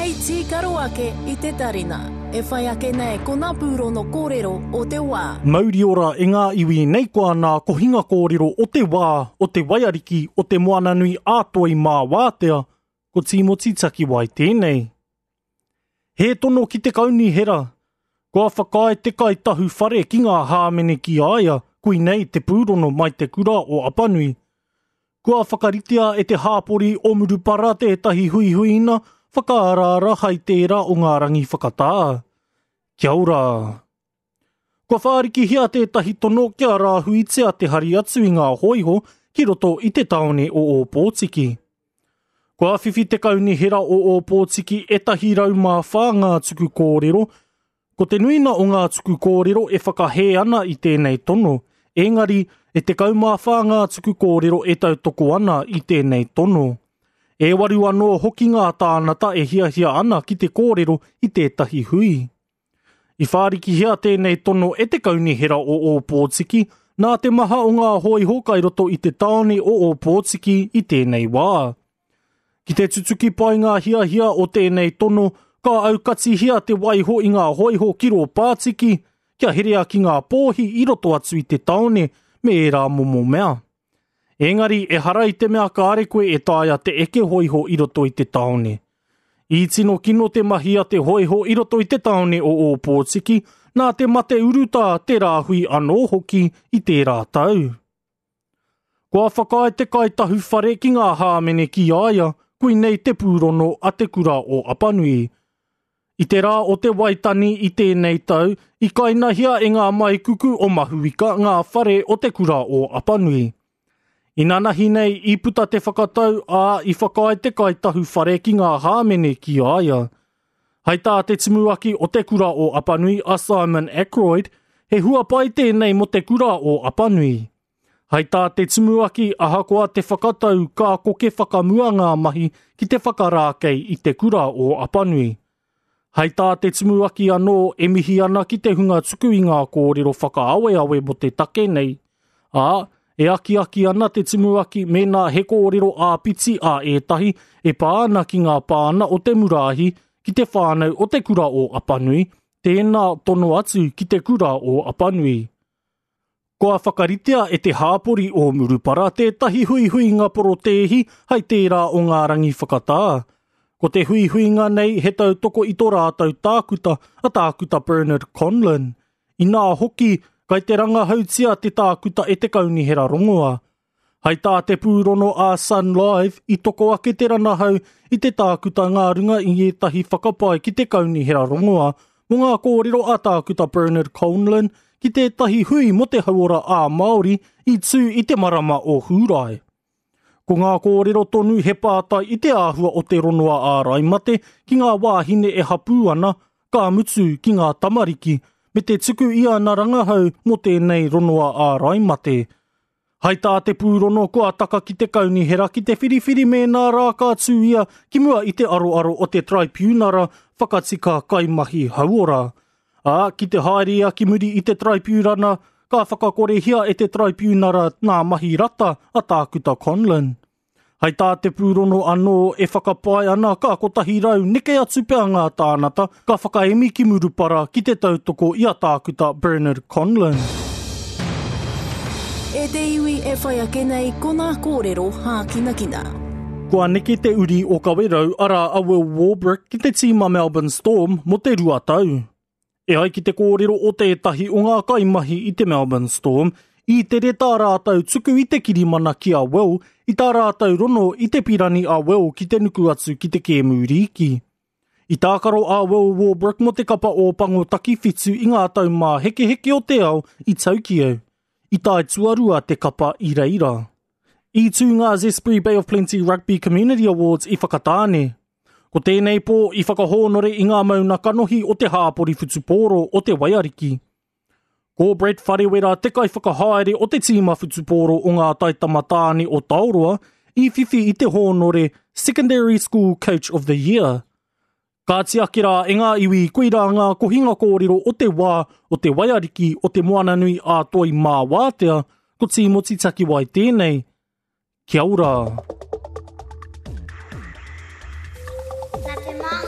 Hei tīkaro ake i te tarina. E whai ake nei ko ngā pūrono kōrero o te wā. Mauri ora e ngā iwi nei koa nā kohinga kōrero o te wā, o te waiariki, o te moananui ā toi mā wātea, ko Tīmoti Takiwai tēnei. He tono ki te kaunihera. Kua whakaae te kaitahu whare ki ngā hāmene ki a ia, koinei te pūrono mai te kura o Apanui. Kua whakaritea e te hāpori o Murupara tētahi huihuina whakaaraara hai tērā o ngā rangi whakatā. Kia ora. Kua whārikihia tētahi tono kia rāhuitia te hari atu i ngā hōiho ki roto i te tāone o Ōpōtiki. Kua whiwhi te Kaunihera o Ōpōtiki ētahi 104 ngā tuku kōrero Ko te nuina o ngā tuku kōrero e whakahē ana i tēnei tono, engari e 14 ngā tuku kōrero e tautoko ana i tēnei tono. E waru anō hoki ngā tānata e hiahia ana ki te kōrero i tētahi hui. I whārikihia tēnei tono e te Kaunihera o Ōpōtiki nā te maha o ngā hōiho kai roto i te tāone o Ōpōtiki i tēnei wā. Ki te tutuki pai ngā hiahia o tēnei tono, ka aukatihia te waiho i ngā hōiho ki rō pātiki, kia herea ki ngā pōhi i roto atu i te tāone me ērā momo mea. Engari, ehara i te mea kāre koe e taea te eke hōiho i roto i te tāone. I tino kino te mahi a te hōiho i roto i te tāone o Ōpōtiki, nā te mate urutā te rāhui anō hoki i tērā tau. Kua whakaae te kaitahu whare ki ngā hāmene ki a ia, koinei te pūrono a Te Kura o Apanui. I te rā o te Waitani i tēnei tau, i kainahia e ngā maikuku o Mahuika ngā whare o Te Kura o Apanui. Inanahi nei i puta te whakatau, ā, i whakaae te kaitahu whare ki ngā hāmene ki a ia. Hai tā te tumuaki o Te Kura o Apanui a Simon Ackroyd, he hua pai tēnei mō Te Kura o Apanui. Hai tā te tumuaki ahakoa te whakatau ka koke whakamua ngā mahi ki te whakarākei i Te Kura o Apanui. Hai tā te tumuaki anō e mihi ana ki te hunga tuku i ngā kōrero whakaaweawe mō te take nei, ā, e akiaki ana te tumuaki mēnā he kōrero āpiti a ētahi e pā ana ki ngā pāna o te muraahi ki te whānau o Te Kura o Apanui, tēnā tono atu ki Te Kura o Apanui. Kua whakaritea e te hāpori o Murupara tētahi huihuinga porotēhi hai tērā o ngā rangi whakatā. Ko te huihuinga nei he tautoko i tō rātou tākuta a Tākuta Bernard Conlon. Inā hoki, kai te rangahautia te tākuta e te Kaunihera Rongoa. Hai tā te pūrono a Sun Live, i toko ake te ranahau i te tākuta ngā runga i ētahi whakapae ki te Kaunihera Rongoa mō ngā kōrero a Tākuta Bernard Conlon ki tētahi hui mō te hauora ā-Māori i tū i te marama o Hūrae. Ko ngā kōrero tonu he pātai i te āhua o te ronoa ārai mate ki ngā wāhine e hapū ana, ka mutu ki ngā tamariki, me te tuku i ana rangahau mō tēnei ronoa ārai mate. Hai tā te pūrono kua taka ki te kaunihera ki te whiriwhiri mēnā rā ka tū ia ki mua i te aroaro o te Traipiunara Whakatika Kaimahi Hauora. Ā, ki te haere ia ki muri i te Taraipiurana, ka whakakorehia e te Taraipiunara ngā mahi rata a Tākuta Conlon. Hai tā te pūrono anō e whakapae ana ka 100 neke atu pea ngā tānata ka whakaemi ki Murupara ki te tautoko i a Tākuta Bernard Conlon. E te iwi e whai ake nei ko ngā kōrero hākinakina. Kua neke te uri o Kawerau arā a Will Warbrick ki te tīma Melbourne Storm mō te rua tau. E ai ki te kōrero o tētahi o ngā kaimahi i te Melbourne Storm, i tere tā rātou tuku i te kirimana ki a Will i tā rātou rono i te pirani a Will ki te nuku atu ki te kēmu rīki. I tākaro a Will Warbrick mō te kapa Ōpango Takiwhitu i ngā taumāhekeheke o te ao i Tokyo. I tae tuarua te kapa i reira. I tū ngā Zespri Bay of Plenty Rugby Community Awards i Whakatāne. Ko tēnei pō i whakahōnore i ngā mauna kanohi o te hāpori whutupōro o Te Waiariki. Ko Brett Wharewera te kaiwhakahaere o te tīma whutupōro o ngā taitama tāne o Taoroa i whiwhi i te hōnore Secondary School Coach of the Year. Kāti ake rā e ngā iwi koirā ngā kohinga kōrero o te wā o te waiariki o te Moananui ā Toi mā Wātea, ko Tīmoti Takiwai tēnei. Kia ora! Nā te māngai.